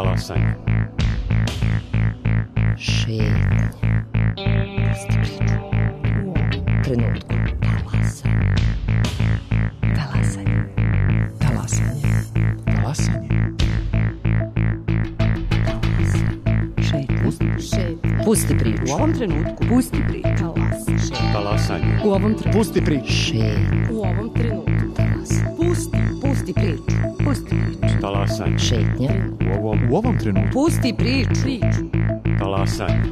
Talasanje. Šetnje. Pusti priču. U ovom trenutku. Talasanje. Talasanje. Talasanje. Talasanje. Šetnje. Pusti priču. U ovom trenutku. Pusti priču. Talasanje. U ovom trenutku. Pusti priču. Šetnje. U ovom trenutku. Talasanje. Pusti priču. Pusti priču. Talasanje. Šetnje. U ovom trenutku. Pusti priču. Talasanje.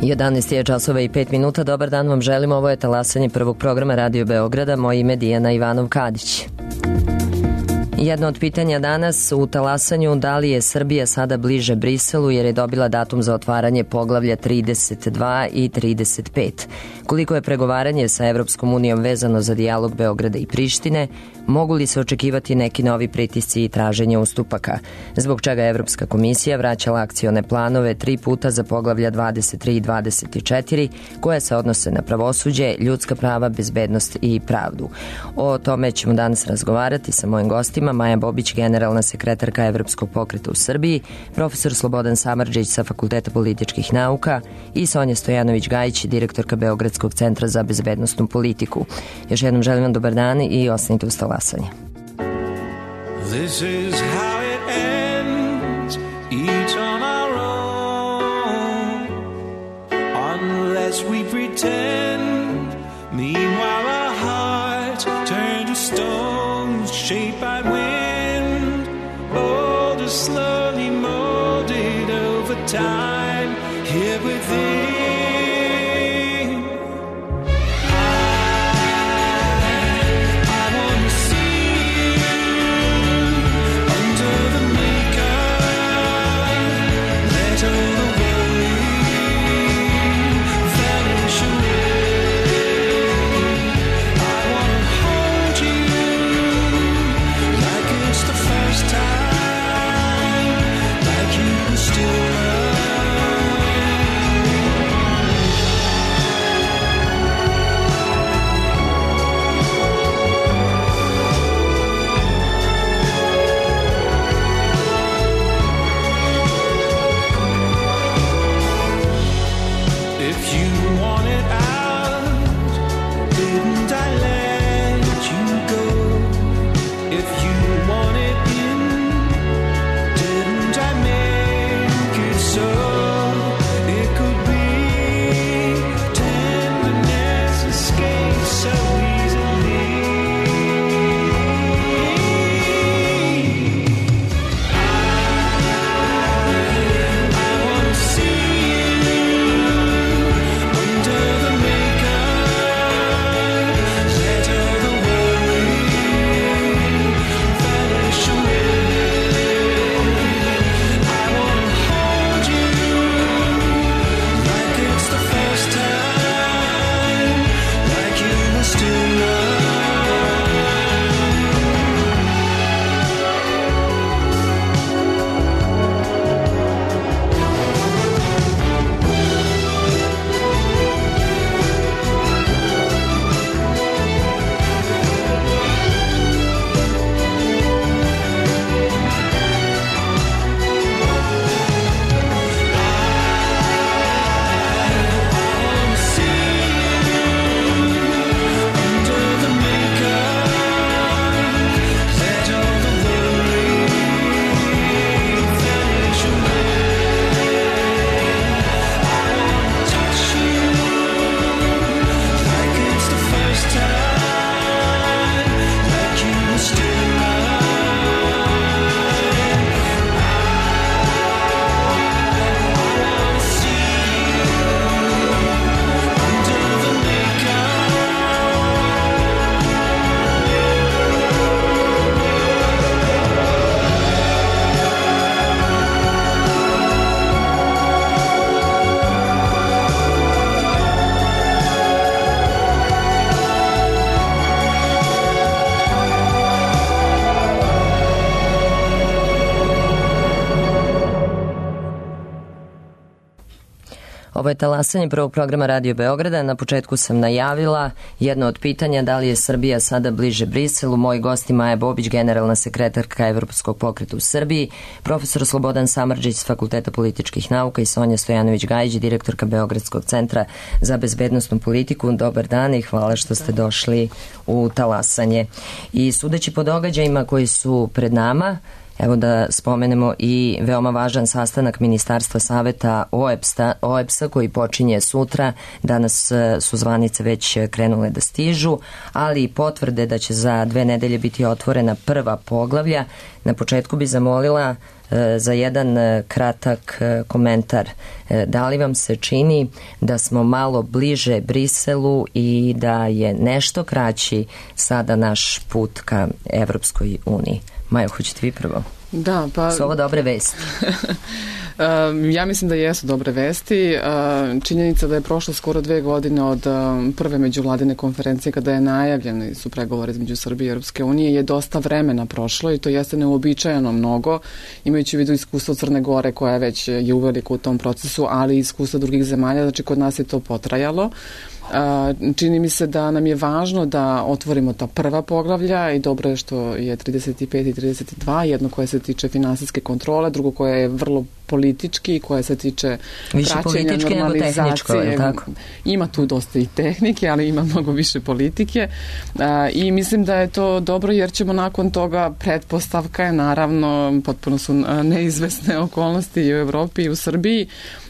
Jedanaest je časova i 5 minuta. Dobar dan vam želimo. Ovo je talasanje prvog programa Radio Beograda. Moje ime je Dijana Ivanov-Kadić. Jedno od pitanja danas u talasanju: da li je Srbija sada bliže Briselu jer je dobila datum za otvaranje poglavlja 32 i 35? Koliko je pregovaranje sa Evropskom unijom vezano za dijalog Beograda i Prištine? Mogu li se očekivati neki novi pritisci i traženje ustupaka? Zbog čega je Evropska komisija vraćala akcione planove 3 puta za poglavlja 23 i 24 koje se odnose na pravosuđe, ljudska prava, bezbednost i pravdu? O tome ćemo danas razgovarati sa mojim gostima: Maja Bobić, generalna sekretarka Evropskog pokreta u Srbiji, profesor Slobodan Samardžić sa Fakulteta političkih nauka i Sonja Stojanović-Gajić, direktorka Beogradskog centra za bezbednosnu politiku. Još jednom želim vam dobar dan i ostanite uz talasanje. This is how it ends, each on our own, unless we pretend. Meanwhile our hearts turn to stones, shaped by wind, boulders slowly molded over time, here within. Still love Ovo je talasanje prvog programa Radio Beograda. Na početku sam najavila jedno od pitanja da li je Srbija sada bliže Briselu. Moji gosti Maja Bobić, generalna sekretarka Evropskog pokreta u Srbiji, profesor Slobodan Samardžić s Fakulteta političkih nauka i Sonja Stojanović-Gajić, direktorka Beogradskog centra za bezbednosnu politiku. Dobar dan i hvala što ste došli u talasanje. I sudeći po događajima koji su pred nama, evo da spomenemo i veoma važan sastanak Ministarstva saveta OEBS-a koji počinje sutra. Danas su zvanice već krenule da stižu, ali i potvrde da će za 2 nedelje biti otvorena prva poglavlja. Na početku bi zamolila za jedan kratak komentar. Da li vam se čini da smo malo bliže Briselu i da je nešto kraći sada naš put ka Evropskoj uniji? Majo, hoćete vi prvo? Da, pa... Su ovo dobre vesti? Ja mislim da jesu dobre vesti. Činjenica da je prošlo skoro 2 godine od prve međuvladine konferencije kada je najavljeni su pregovori između Srbije i Europske unije je dosta vremena prošlo i to jeste neuobičajeno mnogo, imajući u vidu iskustvo Crne Gore koja već je uveliko u tom procesu, ali i iskustvo drugih zemalja, znači kod nas je to potrajalo. Čini mi se da nam je važno da otvorimo ta prva poglavlja i dobro je što je 35 i 32, jedno koje se tiče finansijske kontrole, drugo koje je vrlo politički, koje se tiče praćenja, normalizacije. Ima tu dosta i tehnike, ali ima mnogo više politike i mislim da je to dobro jer ćemo nakon toga, pretpostavka je naravno, potpuno su neizvesne okolnosti i u Evropi i u Srbiji,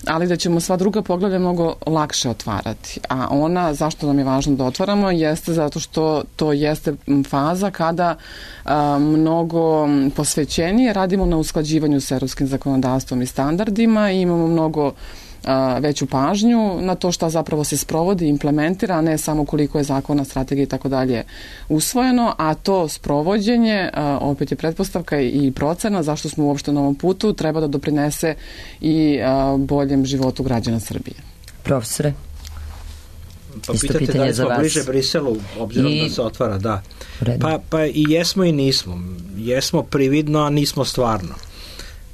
ali da ćemo sva druga poglavlja mnogo lakše otvarati. A ona, zašto nam je važno da otvaramo, jeste zato što to jeste faza kada mnogo posvećenije radimo na usklađivanju s evropskim zakonodavstvom i standardima i imamo mnogo veću pažnju na to šta zapravo se sprovodi, implementira, a ne samo koliko je zakona, strategija i tako dalje usvojeno, a to sprovođenje, opet je pretpostavka i procena zašto smo uopšte na ovom putu, treba da doprinese i boljem životu građana Srbije. Profesore? Pa pitate da li smo bliže Briselu, obzirom da se otvara, da. Pa i jesmo i nismo. Jesmo prividno, a nismo stvarno.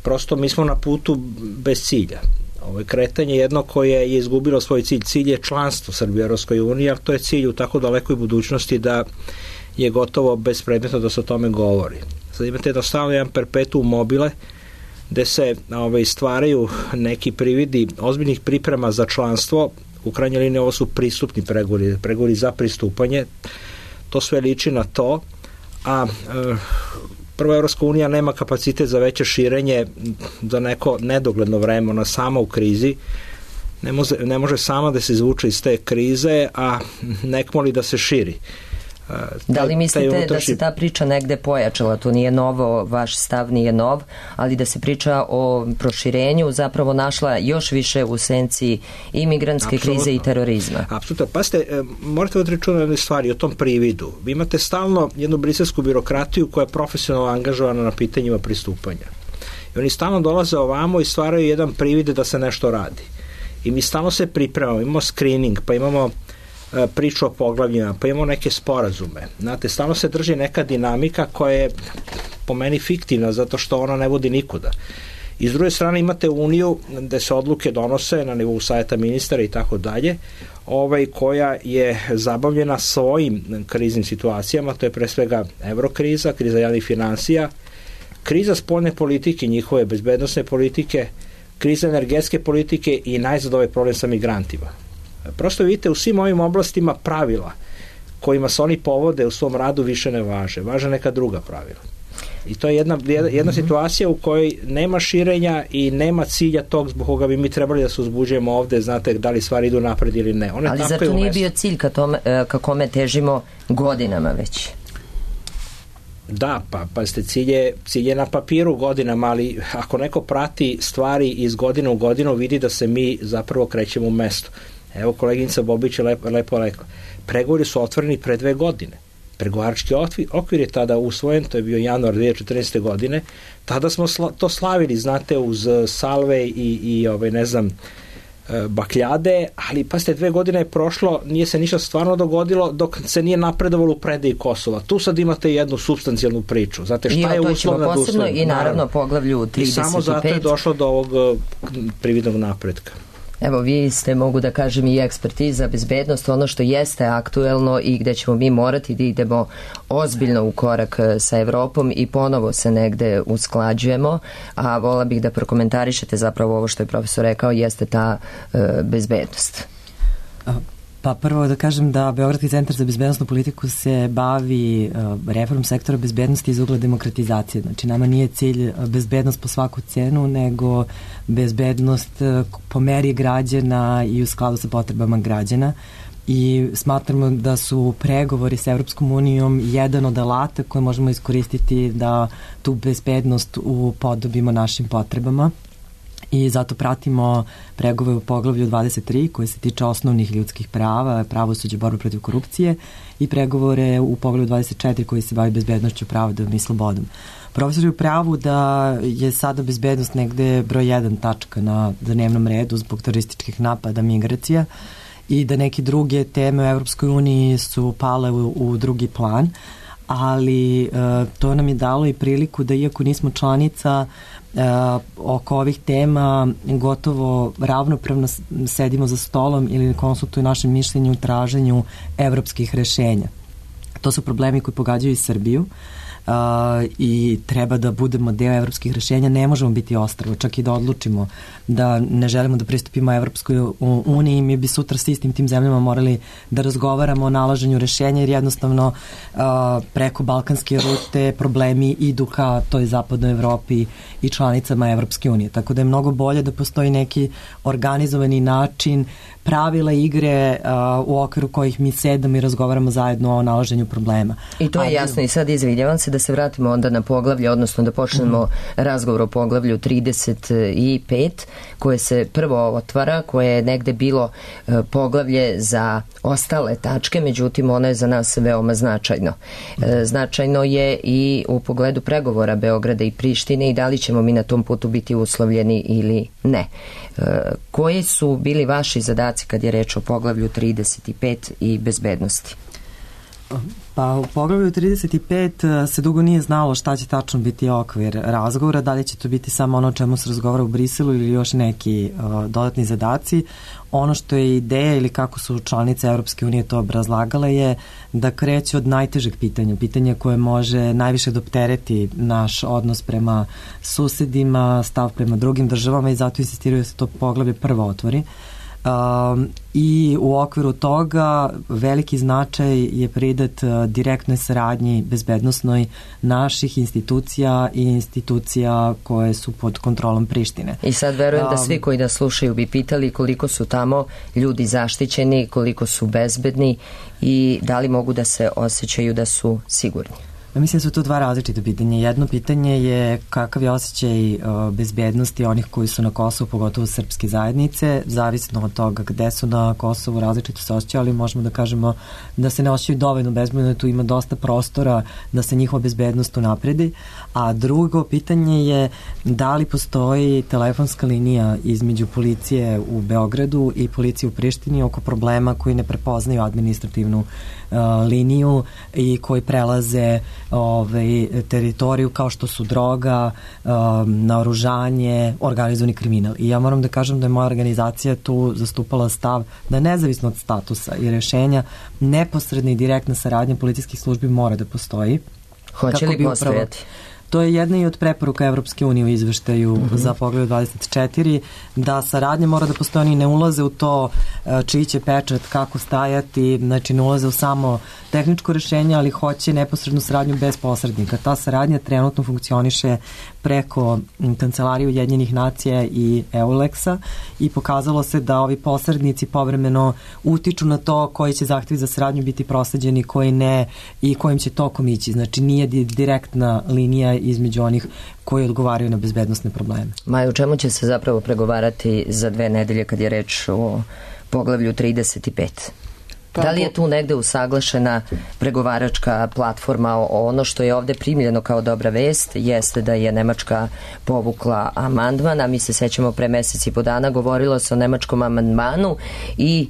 Prosto mi smo na putu bez cilja. Ovo je kretanje jedno koje je izgubilo svoj cilj. Cilj je članstvo Srbije u Evropskoj uniji, ali to je cilj u tako dalekoj budućnosti da je gotovo bespredmetno da se o tome govori. Sad imate jednostavno jedan perpetuum mobile gde se stvaraju neki prividi ozbiljnih priprema za članstvo. U krajnjoj liniji ovo su pristupni pregovori za pristupanje. To sve liči na to, a prva Evropska unija nema kapacitet za veće širenje za neko nedogledno vreme, ona sama u krizi ne može sama da se izvuče iz te krize, a nek moli da se širi. Da li mislite da se ta priča negde pojačala? To nije novo, vaš stav nije nov, ali da se priča o proširenju zapravo našla još više u senci i migrantske krize i terorizma. Apsolutno. Pa morate odreći na stvari o tom prividu. Vi imate stalno jednu briselsku birokratiju koja je profesionalno angažovana na pitanjima pristupanja. I oni stalno dolaze ovamo i stvaraju jedan privid da se nešto radi. I mi stalno se pripremamo, imamo screening, pa imamo priču o poglavljima, pa imamo neke sporazume. Znate, stalno se drži neka dinamika koja je po meni fiktivna, zato što ona ne vodi nikuda. I s druge strane imate Uniju gde se odluke donose na nivou savjeta ministara i tako dalje, koja je zabavljena svojim kriznim situacijama, to je pre svega evrokriza, kriza javnih finansija, kriza spoljne politike, njihove bezbednosne politike, kriza energetske politike i najzad ovaj problem sa migrantima. Prosto vidite, u svim ovim oblastima pravila kojima se oni povode u svom radu više ne važe. Važe neka druga pravila. I to je jedna situacija u kojoj nema širenja i nema cilja tog zbog koga bi mi trebali da se uzbuđujemo ovde, znate, da li stvari idu napred ili ne. Ali zar to nije bio cilj ka kome težimo godinama već? Da, pa ste cilj je na papiru godinama, ali ako neko prati stvari iz godine u godinu, vidi da se mi zapravo krećemo u mesto. Evo, koleginica Bobić je lepo rekla. Pregovori su otvoreni pre 2 godine. Pregovarački okvir je tada usvojen, to je bio januar 2014. godine. Tada smo to slavili, znate, uz salve i ne znam, bakljade, ali pasite, 2 godine je prošlo, nije se ništa stvarno dogodilo dok se nije napredovalo u predaji Kosova. Tu sad imate jednu supstancijalnu priču. Znate, šta je uslovna da uslovna? I naravno poglavlju 35. I samo zato je došlo do ovog prividnog napretka. Evo, vi ste, mogu da kažem, i eksperti za bezbednost, ono što jeste aktuelno i gde ćemo mi morati da idemo ozbiljno u korak sa Evropom i ponovo se negde usklađujemo, a vola bih da prokomentarišete zapravo ovo što je profesor rekao, jeste ta bezbednost. Pa prvo da kažem da Beogradski centar za bezbednostnu politiku se bavi reformom sektora bezbednosti iz ugla demokratizacije. Znači nama nije cilj bezbednost po svaku cenu, nego bezbednost po meri građana i u skladu sa potrebama građana. I smatramo da su pregovori sa Evropskom unijom jedan od alata koje možemo iskoristiti da tu bezbednost upodobimo našim potrebama. I zato pratimo pregovore u poglavlju 23 koje se tiče osnovnih ljudskih prava, pravosuđe, borbe protiv korupcije i pregovore u poglavlju 24 koji se bavi bezbednošću, pravodom i slobodom. Profesor je u pravu da je sada bezbednost negde broj 1 tačka na dnevnom redu zbog terorističkih napada, migracija i da neke druge teme u Evropskoj uniji su pale u drugi plan, ali to nam je dalo i priliku da iako nismo članica oko ovih tema gotovo ravnopravno sedimo za stolom ili konsultuju naše mišljenje u traženju evropskih rešenja. To su problemi koji pogađaju i Srbiju i treba da budemo deo evropskih rešenja, ne možemo biti ostrvo, čak i da odlučimo da ne želimo da pristupimo Evropskoj uniji, mi bi sutra s istim tim zemljama morali da razgovaramo o nalaženju rešenja jer jednostavno preko balkanske rute problemi idu ka toj zapadnoj Evropi i članicama Evropske unije. Tako da je mnogo bolje da postoji neki organizovani način, pravila igre u okviru kojih mi sedamo i razgovaramo zajedno o nalaženju problema. I to je jasno i sad izvidjavam se da se vratimo onda na poglavlje, odnosno da počnemo razgovor o poglavlju 35 koje se prvo otvara, koje je negde bilo poglavlje za ostale tačke, međutim ono je za nas veoma značajno. Značajno je i u pogledu pregovora Beograda i Prištine i da li ćemo mi na tom putu biti uslovljeni ili ne. Koji su bili vaši zadaci kad je reč o poglavlju 35 i bezbednosti? Pa u poglavlju 35 se dugo nije znalo šta će tačno biti okvir razgovora, da li će to biti samo ono o čemu se razgovara u Briselu ili još neki dodatni zadaci. Ono što je ideja ili kako su članice Evropske unije to obrazlagale je da kreće od najtežeg pitanja, pitanja koje može najviše doptereti naš odnos prema susedima, stav prema drugim državama i zato insistiraju da se to poglavlje prvo otvori. I u okviru toga veliki značaj je pridat direktnoj saradnji bezbednosnoj naših institucija i institucija koje su pod kontrolom Prištine. I sad verujem da svi koji nas slušaju bi pitali koliko su tamo ljudi zaštićeni, koliko su bezbedni i da li mogu da se osjećaju da su sigurni. Mislim da su to dva različite pitanja. Jedno pitanje je kakav je osjećaj bezbednosti onih koji su na Kosovu, pogotovo srpske zajednice, zavisno od toga gde su na Kosovu, različito se osjećaju, ali možemo da kažemo da se ne osjećaju dovoljno bezbedno, tu ima dosta prostora da se njihova bezbednost unapredi. A drugo pitanje je da li postoji telefonska linija između policije u Beogradu i policije u Prištini oko problema koji ne prepoznaju administrativnu liniju i koji prelaze teritoriju kao što su droga, naoružanje, organizovani kriminal. I ja moram da kažem da je moja organizacija tu zastupala stav da nezavisno od statusa i rešenja neposredna i direktna saradnja policijskih službi mora da postoji. Hoće li postojati? To je jedna i od preporuka Evropske unije u izveštaju za poglavlje 24, da saradnja mora da postoji, oni ne ulaze u to čiji će pečat, kako stajati, znači ne ulaze u samo tehničko rešenje, ali hoće neposrednu saradnju bez posrednika. Ta saradnja trenutno funkcioniše preko Kancelarije Ujedinjenih nacija i EULEX-a i pokazalo se da ovi posrednici povremeno utiču na to koji će zahtevi za saradnju biti prosleđeni, koji ne i kojim će tokom ići. Znači nije direktna linija između onih koji odgovaraju na bezbednosne probleme. Maja, u čemu će se zapravo pregovarati za 2 nedelje kad je reč o poglavlju 35? Da li je tu negde usaglašena pregovaračka platforma? Ono što je ovde primljeno kao dobra vest jeste da je Nemačka povukla amandman, a mi se sećamo pre mesec i po dana govorilo se o nemačkom amandmanu i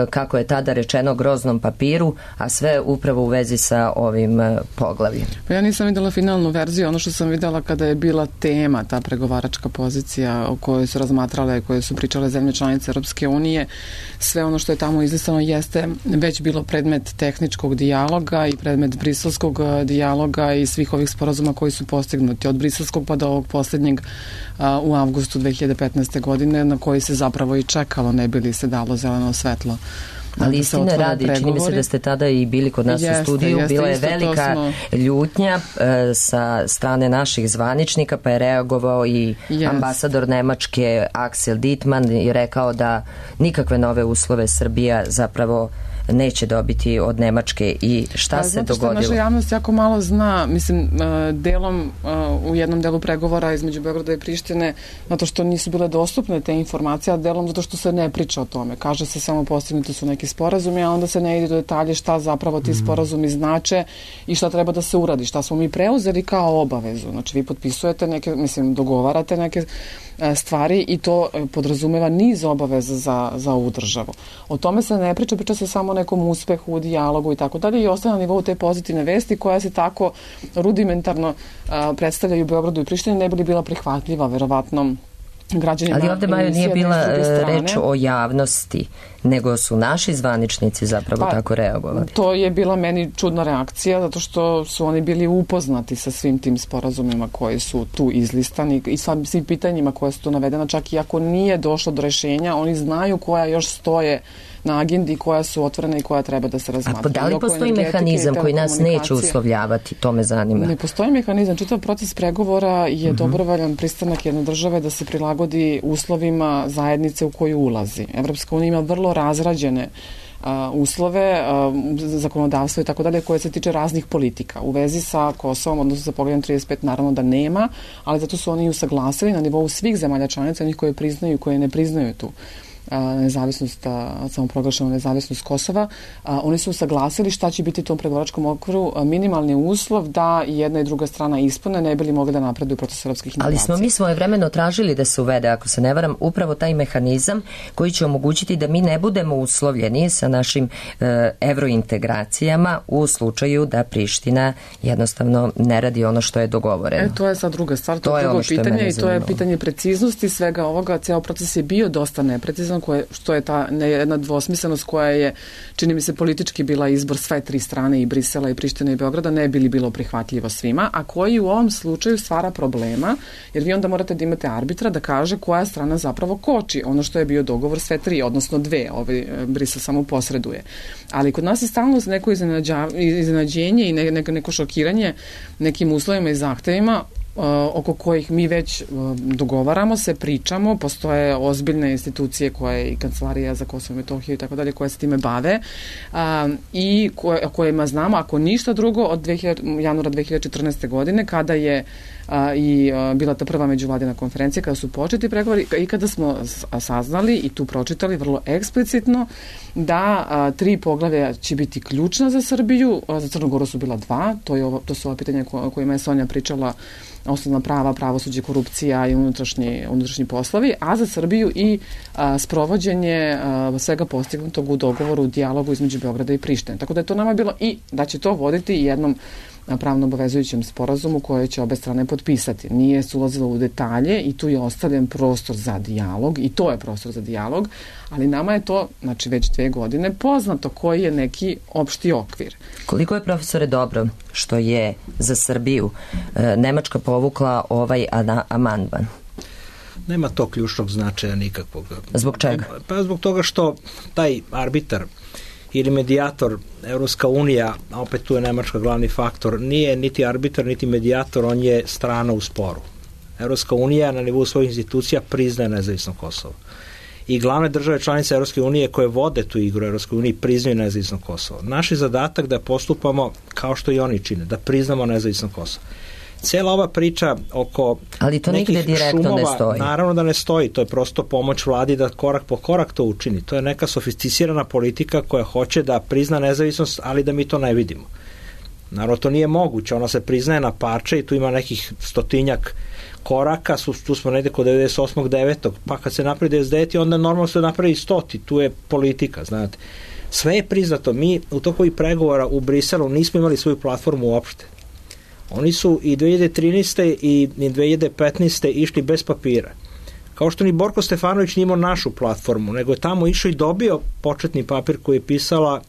kako je tada rečeno groznom papiru, a sve upravo u vezi sa ovim poglavljem. Pa ja nisam videla finalnu verziju, ono što sam videla kada je bila tema, ta pregovaračka pozicija o kojoj su razmatrale, koje su pričale zemlje članice Europske unije, sve ono što je tamo izlistano jeste već bilo predmet tehničkog dijaloga i predmet briselskog dijaloga i svih ovih sporazuma koji su postignuti od briselskog pa do ovog posljednjeg u avgustu 2015. godine, na koji se zapravo i čekalo, ne bi li se dalo zeleno svetlo. Ali istine radi, čini mi se da ste tada i bili kod nas u studiju, bila je velika ljutnja sa strane naših zvaničnika, pa je reagovao i ambasador Nemačke Axel Dittmann i rekao da nikakve nove uslove Srbija zapravo neće dobiti od Nemačke. I šta se dogodilo? Zato što naša javnost jako malo zna, mislim, delom u jednom delu pregovora između Beograda i Prištine, zato što nisu bile dostupne te informacije, a delom zato što se ne priča o tome. Kaže se samo postignuti su neki sporazumi, a onda se ne ide do detalje šta zapravo ti sporazumi znače i šta treba da se uradi, šta smo mi preuzeli kao obavezu. Znači, vi potpisujete neke, mislim, dogovarate neke stvari i to podrazumeva niz obaveza za ovu državu. O tome se ne priča, priča se samo o nekom uspehu u dijalogu i tako dalje i ostaje na nivou te pozitivne vesti koja se tako rudimentarno predstavljaju u Beogradu i Prištini, ne bi li bila prihvatljiva verovatno građanima. Ali ovde, Majo, nije bila reč o javnosti, nego su naši zvaničnici zapravo tako reagovali. To je bila meni čudna reakcija, zato što su oni bili upoznati sa svim tim sporazumima koji su tu izlistani i svim pitanjima koje su tu navedena, čak i ako nije došlo do rešenja, oni znaju koja još stoje na agendi, koja su otvorena i koja treba da se razmatra. A da li postoji mehanizam koji nas neće uslovljavati? To me zanima. Ne postoji mehanizam. Čitav proces pregovora je dobrovoljan pristanak jedne države da se prilagodi uslovima zajednice u koju ulazi. Evropska unija ima vrlo razrađene uslove, zakonodavstvo i tako dalje, koje se tiče raznih politika. U vezi sa Kosovom, odnosno sa pogledom 35, naravno da nema, ali zato su oni usaglasili na nivou svih zemalja članica, onih koje priznaju i koje ne priznaju tu nezavisnost, samoproglašenu nezavisnost Kosova. Oni su usaglasili šta će biti u tom pregovaračkom okviru minimalni uslov da i jedna i druga strana ispune, ne bi li mogli da napreduju proces evropskih integracija. Ali smo mi svojevremeno tražili da se uvede, ako se ne varam, upravo taj mehanizam koji će omogućiti da mi ne budemo uslovljeni sa našim evrointegracijama u slučaju da Priština jednostavno ne radi ono što je dogovoreno. To je sad druga stvar, to je drugo pitanje i to je pitanje preciznosti svega ovoga. Ceo proces je bio dosta neprecizan, što je ta jedna dvosmislenost koja je, čini mi se, politički bila izbor sve tri strane, i Brisela i Prištine i Beograda, ne bi li bilo prihvatljivo svima, a koji u ovom slučaju stvara problema, jer vi onda morate da imate arbitra da kaže koja strana zapravo koči ono što je bio dogovor sve tri, odnosno dve, Brisel samo posreduje. Ali kod nas je stalno neko iznenađenje i neko šokiranje nekim uslovima i zahtevima oko kojih mi već dogovaramo se, pričamo, postoje ozbiljne institucije koje i Kancelarija za Kosovo i Metohiju i tako dalje koje se time bave i kojima znamo, ako ništa drugo, od januara 2014. godine kada je i bila ta prva međuvladina konferencija, kada su početi pregovori i kada smo saznali i tu pročitali vrlo eksplicitno da 3 poglavlja će biti ključna za Srbiju, za Crnu Goru su bila 2, to su ova pitanja o kojima je Sonja pričala, osnovna prava, pravosuđe, korupcija i unutrašnji poslovi, a za Srbiju i sprovođenje svega postignutog u dogovoru, u dijalogu između Beograda i Prištine. Tako da je to nama bilo i da će to voditi jednom pravno obavezujućem sporazumu koje će obe strane potpisati. Nije se ulazilo u detalje i tu je ostavljen prostor za dijalog i to je prostor za dijalog, ali nama je to, znači već 2 godine, poznato koji je neki opšti okvir. Koliko je, profesore, dobro što je za Srbiju Nemačka povukla ovaj amandman? Nema to ključnog značaja nikakvog. Zbog čega? Pa zbog toga što taj arbitar ili medijator, Evropska unija, a opet tu je Nemačka glavni faktor, nije niti arbitar, niti medijator, on je strana u sporu. Evropska unija na nivou svojih institucija priznaje nezavisno Kosovo. I glavne države članice Evropske unije koje vode tu igru Evropske unije priznaju nezavisno Kosovo. Naš je zadatak da postupamo kao što i oni čine, da priznamo nezavisno Kosovo. Cela ova priča oko ali to nekih nigde direktno šumova, ne stoji. Naravno da ne stoji, to je prosto pomoć vladi da korak po korak to učini. To je neka sofisticirana politika koja hoće da prizna nezavisnost, ali da mi to ne vidimo. Naravno, to nije moguće, ona se priznaje na parče i tu ima nekih 100 koraka, tu smo negde kod 98. 9. pa kad se napravi 99. onda normalno se napravi 100. Tu je politika, znate. Sve je priznato. Mi u toku i pregovora u Briselu nismo imali svoju platformu uopšte. Oni su i 2013. i 2015. išli bez papira. Kao što ni Borko Stefanović nije imao našu platformu, nego je tamo išao i dobio početni papir koji je pisala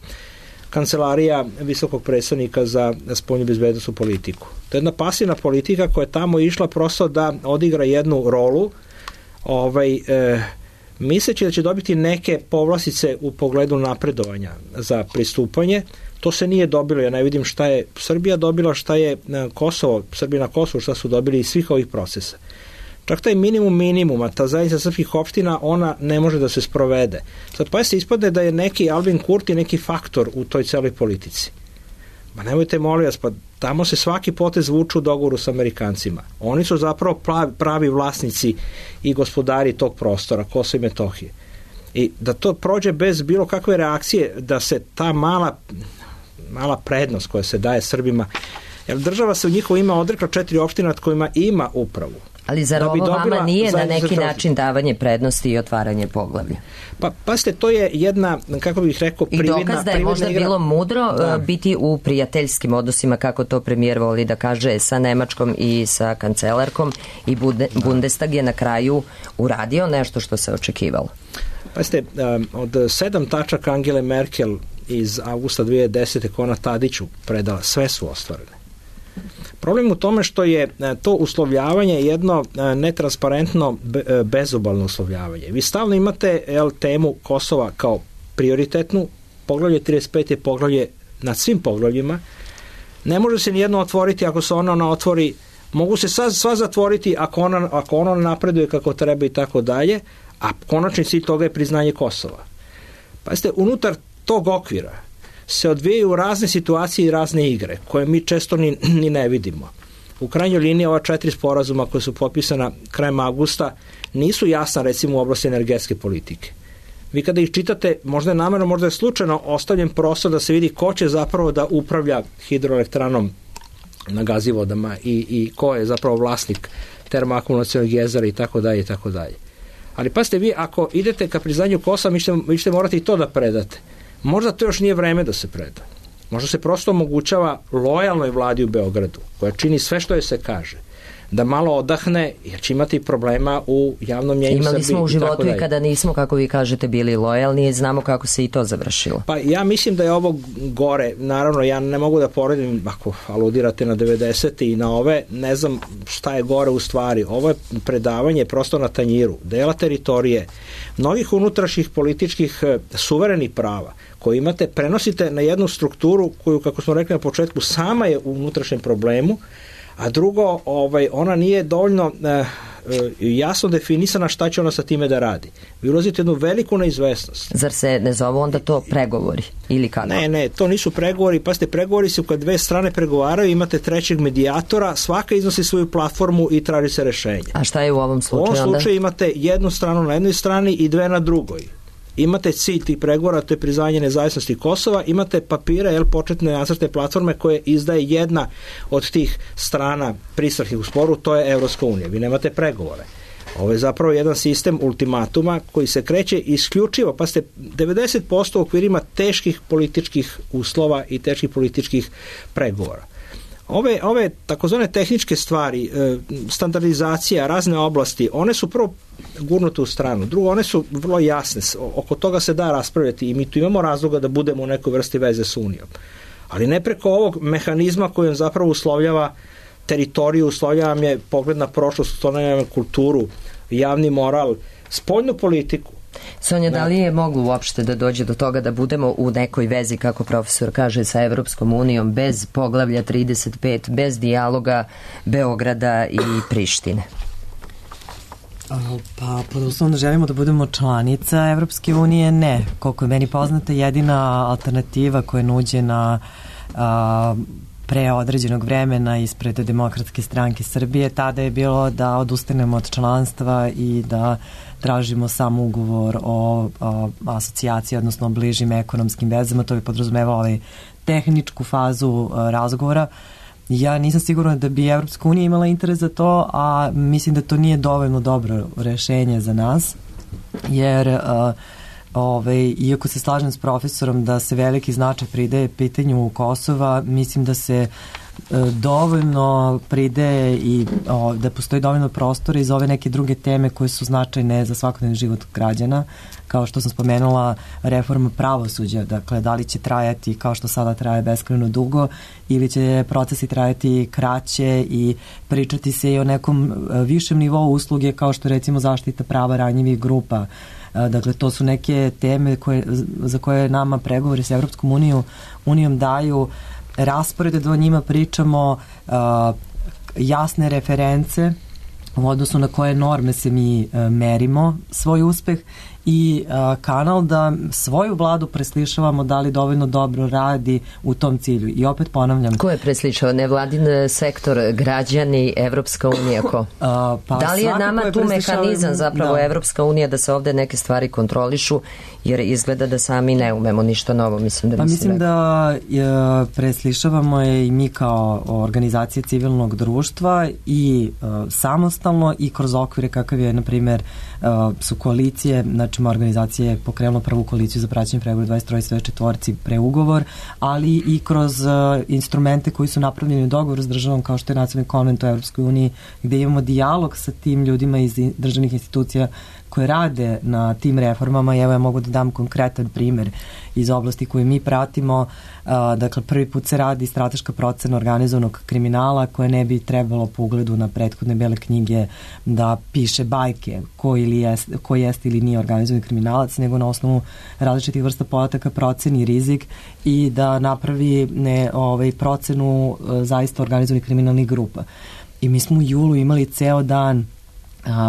Kancelarija visokog predstavnika za spoljnu bezbednosnu politiku. To je jedna pasivna politika koja je tamo išla prosto da odigra jednu rolu, misleći da će dobiti neke povlastice u pogledu napredovanja za pristupanje. To se nije dobilo, ja ne vidim šta je Srbija dobila, šta je Srbija na Kosovu, šta su dobili iz svih ovih procesa. Čak taj minimuma, ta zajednica srpskih opština, ona ne može da se sprovede. Sad pa se ispade da je neki Albin Kurti neki faktor u toj celoj politici. Ma nemojte molim vas, pa tamo se svaki potez vuču u dogovoru sa Amerikancima. Oni su zapravo pravi vlasnici i gospodari tog prostora, Kosova i Metohije. I da to prođe bez bilo kakve reakcije, da se ta mala prednost koja se daje Srbima, jer država se u njihovo ime odrekla 4 opština nad kojima ima upravu. Ali zar ovo vama nije na neki način davanje prednosti i otvaranje poglavlja? Pa pazite, to je jedna, kako bih rekao, prividna igra. I dokaz da je možda bilo mudro biti u prijateljskim odnosima, kako to premijer voli da kaže, sa Nemačkom i sa kancelarkom, i Bundestag je na kraju uradio nešto što se očekivalo. Pazite, od 7 tačaka Angele Merkel iz avgusta 2010. koja ona Tadiću predala, sve su ostvarene. Problem u tome što je to uslovljavanje jedno netransparentno bezobalno uslovljavanje. Vi stalno imate temu Kosova kao prioritetnu, poglavlje 35 je poglavlje nad svim poglavljima, ne može se nijedno otvoriti ako se ona otvori, mogu se sva zatvoriti ako ona napreduje kako treba i tako dalje, a konačni cilj toga je priznanje Kosova. Pazite, unutar tog okvira se odvijaju razne situacije i razne igre koje mi često ni ne vidimo. U krajnjoj liniji ova 4 sporazuma koja su potpisana krajem avgusta nisu jasna, recimo u oblasti energetske politike. Vi kada ih čitate, možda je namerno, možda je slučajno ostavljen prostor da se vidi ko će zapravo da upravlja hidroelektranom na Gazivodama i ko je zapravo vlasnik termoakumulacionog jezera i tako dalje i tako dalje. Ali pazite, vi ako idete ka priznanju Kosova, vi ćete morati i to da predate. Možda to još nije vreme da se preda. Možda se prosto omogućava lojalnoj vladi u Beogradu, koja čini sve što joj se kaže, da malo odahne, jer će imati problema u javnom mnjenju Srbiji. Imali smo u životu i kada nismo, kako vi kažete, bili lojalni i znamo kako se i to završilo. Pa ja mislim da je ovo gore. Naravno, ja ne mogu da poredim, ako aludirate na 90. i na ove, ne znam šta je gore u stvari. Ovo je predavanje prosto na tanjiru, dela teritorije, mnogih unutrašnjih političkih suverenih prava koje imate, prenosite na jednu strukturu koju, kako smo rekli na početku, sama je u unutrašnjem problemu, a drugo, ona nije dovoljno jasno definisana šta će ona sa time da radi. Vi ulazite jednu veliku neizvesnost. Zar se ne zove onda to pregovori ili kako? Ne, to nisu pregovori. Pazite, pregovori su kad dve strane pregovaraju, imate trećeg medijatora, svaka iznosi svoju platformu i traži se rešenje. A šta je u ovom slučaju onda? U ovom slučaju imate jednu stranu na jednoj strani i dve na drugoj. Imate cilj tih pregovora, to je priznanje nezavisnosti Kosova, imate papire, početne nacrte platforme koje izdaje jedna od tih strana pristrahih u sporu, to je Evropska unija. Vi nemate pregovore. Ovo je zapravo jedan sistem ultimatuma koji se kreće isključivo, pa ste 90% u okvirima teških političkih uslova i teških političkih pregovora. Ove takozvane tehničke stvari, standardizacija, razne oblasti, one su prvo gurnute u stranu. Drugo, one su vrlo jasne. Oko toga se da raspravljati i mi tu imamo razloga da budemo u nekoj vrsti veze s Unijom. Ali ne preko ovog mehanizma koji on zapravo uslovljava teritoriju, uslovljava je pogled na prošlost, uslovljava kulturu, javni moral, spoljnu politiku. Sonja, da li je moglo uopšte da dođe do toga da budemo u nekoj vezi, kako profesor kaže, sa Evropskom unijom, bez poglavlja 35, bez dijaloga Beograda i Prištine? Pa, pod uslovom da želimo da budemo članica Evropske unije, ne. Koliko je meni poznata, jedina alternativa koja je nuđena pre određenog vremena ispred Demokratske stranke Srbije. Tada je bilo da odustanemo od članstva i da tražimo samo ugovor o asocijaciji, odnosno bližim ekonomskim vezama. To bi podrazumevalo tehničku fazu razgovora. Ja nisam sigurna da bi Evropska unija imala interes za to, a mislim da to nije dovoljno dobro rešenje za nas, jer iako se slažem s profesorom da se veliki značaj pridaje pitanju Kosova, mislim da se dovoljno pridaje i da postoji dovoljno prostora i za ove neke druge teme koje su značajne za svakodnevni život građana, kao što sam spomenula reforma pravosuđa, dakle da li će trajati kao što sada traje beskrajno dugo ili će procesi trajati kraće i pričati se i o nekom višem nivou usluge kao što recimo zaštita prava ranjivih grupa. Dakle, to su neke teme za koje nama pregovori s Evropskom unijom daju rasporede da o njima pričamo, jasne reference u odnosu na koje norme se mi merimo svoj uspeh i kanal da svoju vladu preslišavamo da li dovoljno dobro radi u tom cilju. I opet ponavljam. Ko je preslišao? Nevladin sektor, građani, Evropska unija, ko? Da li je nama tu mehanizam zapravo Evropska unija da se ovde neke stvari kontrolišu, jer izgleda da sami ne umemo ništa novo, mislim da mislim da preslišavamo je i mi kao organizacije civilnog društva i samostalno i kroz okvire kakav je, na primjer, su koalicije, znači organizacija je pokrenula prvu koaliciju za praćenje pregovora 23 preugovor, ali i kroz instrumente koji su napravljeni u dogovoru s državom kao što je Nacionalni konvent u Evropskoj uniji, gde imamo dijalog sa tim ljudima iz državnih institucija koje rade na tim reformama. I evo ja mogu da dam konkretan primer iz oblasti koje mi pratimo. Dakle, prvi put se radi strateška procena organizovanog kriminala koje ne bi trebalo po ugledu na prethodne bele knjige da piše bajke ko jeste ili nije organizovani kriminalac, nego na osnovu različitih vrsta podataka proceni rizik i da napravi procenu zaista organizovanih kriminalnih grupa. I mi smo u julu imali ceo dan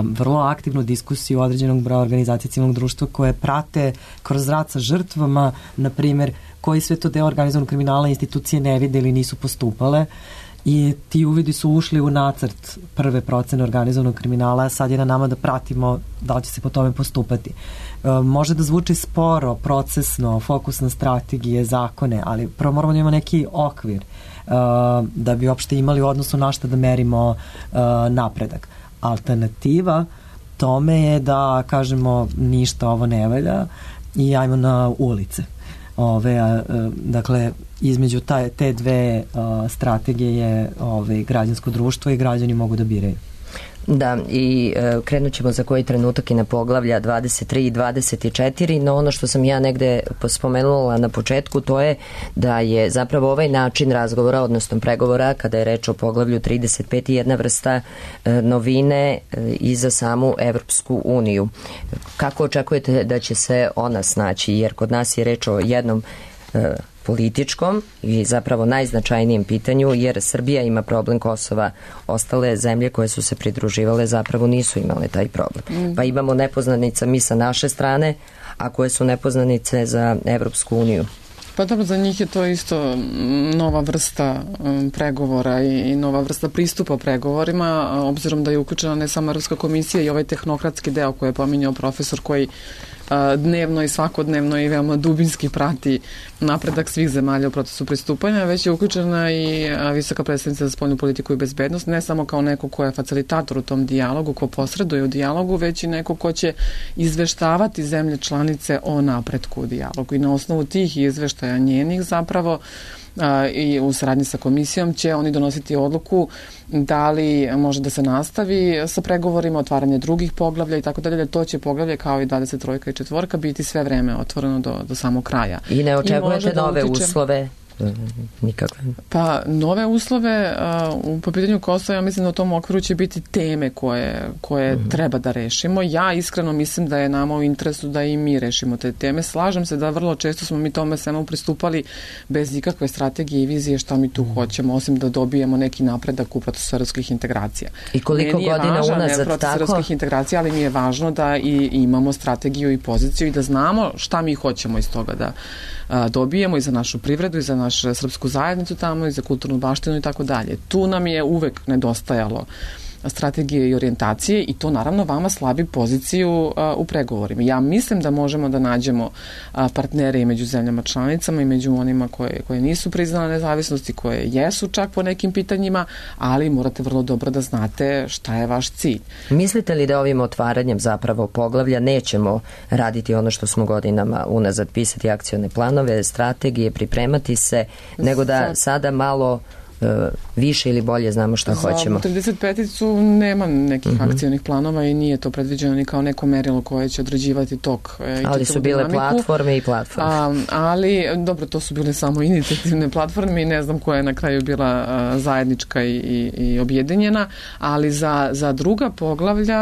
vrlo aktivnu diskusiju određenog broja organizacije civilnog društva koje prate kroz rad sa žrtvama, na primjer, koji sve to deo organizovanog kriminala institucije ne vide ili nisu postupale, i ti uvidi su ušli u nacrt prve procene organizovanog kriminala. Sad je na nama da pratimo da li će se po tome postupati. Može da zvuči sporo, procesno, fokusne strategije, zakone, ali prvo moramo da imamo neki okvir da bi uopšte imali u odnosu na šta da merimo napredak. Alternativa tome je da kažemo ništa ovo ne valja i ajmo na ulice. Dakle, između te dve strategije je građansko društvo i građani mogu da biraju. Da, i krenut ćemo za koji trenutak i na poglavlja 23 i 24, no ono što sam ja negde spomenula na početku, to je da je zapravo ovaj način razgovora, odnosno pregovora, kada je reč o poglavlju 35 i jedna vrsta novine i za samu Evropsku uniju. Kako očekujete da će se ona snaći, jer kod nas je reč o jednom političkom i zapravo najznačajnijem pitanju, jer Srbija ima problem Kosova, ostale zemlje koje su se pridruživale zapravo nisu imale taj problem. Pa imamo nepoznanica mi sa naše strane, a koje su nepoznanice za Evropsku uniju. Pa dobro, za njih je to isto nova vrsta pregovora i nova vrsta pristupa pregovorima, obzirom da je uključena ne samo Evropska komisija i ovaj tehnokratski deo koji je pominjao profesor, koji dnevno i svakodnevno i veoma dubinski prati napredak svih zemalja u procesu pristupanja, već je uključena i visoka predstavnica za spoljnu politiku i bezbednost, ne samo kao neko ko je facilitator u tom dijalogu, ko posreduje u dijalogu, već i neko ko će izveštavati zemlje članice o napretku u dijalogu. I na osnovu tih izveštaja njenih zapravo i u saradnji sa komisijom će oni donositi odluku da li može da se nastavi sa pregovorima, otvaranje drugih poglavlja i tako dalje. To će poglavlje kao i 23 i 4 biti sve vreme otvoreno do samog kraja. I ne očekujete nove uslove? Nikakve. Pa nove uslove po pitanju Kosova, ja mislim da u tom okviru će biti teme koje treba da rešimo. Ja iskreno mislim da je nama u interesu da i mi rešimo te teme. Slažem se da vrlo često smo mi tome svemu pristupali bez ikakve strategije i vizije šta mi tu hoćemo, osim da dobijemo neki napredak u procesu evropskih integracija. I koliko godina unazad proces evropskih integracija, ali mi je važno da i imamo strategiju i poziciju i da znamo šta mi hoćemo iz toga da dobijemo i za našu privredu i za naš srpsku zajednicu tamo i za kulturnu baštinu i tako dalje. Tu nam je uvek nedostajalo strategije i orijentacije i to naravno vama slabi poziciju u pregovorima. Ja mislim da možemo da nađemo partnere i među zemljama članicama i među onima koje nisu priznale nezavisnosti, koje jesu čak po nekim pitanjima, ali morate vrlo dobro da znate šta je vaš cilj. Mislite li da ovim otvaranjem zapravo poglavlja nećemo raditi ono što smo godinama unazad, pisati akcione planove, strategije, pripremati se, nego da sada malo više ili bolje znamo šta hoćemo? Za 35-icu nema nekih akcijnih planova i nije to predviđeno ni kao neko merilo koje će određivati tok. Ali su bile platforme i platforme. Ali, dobro, to su bile samo inicijativne platforme i ne znam koja je na kraju bila zajednička i objedinjena, ali za druga poglavlja,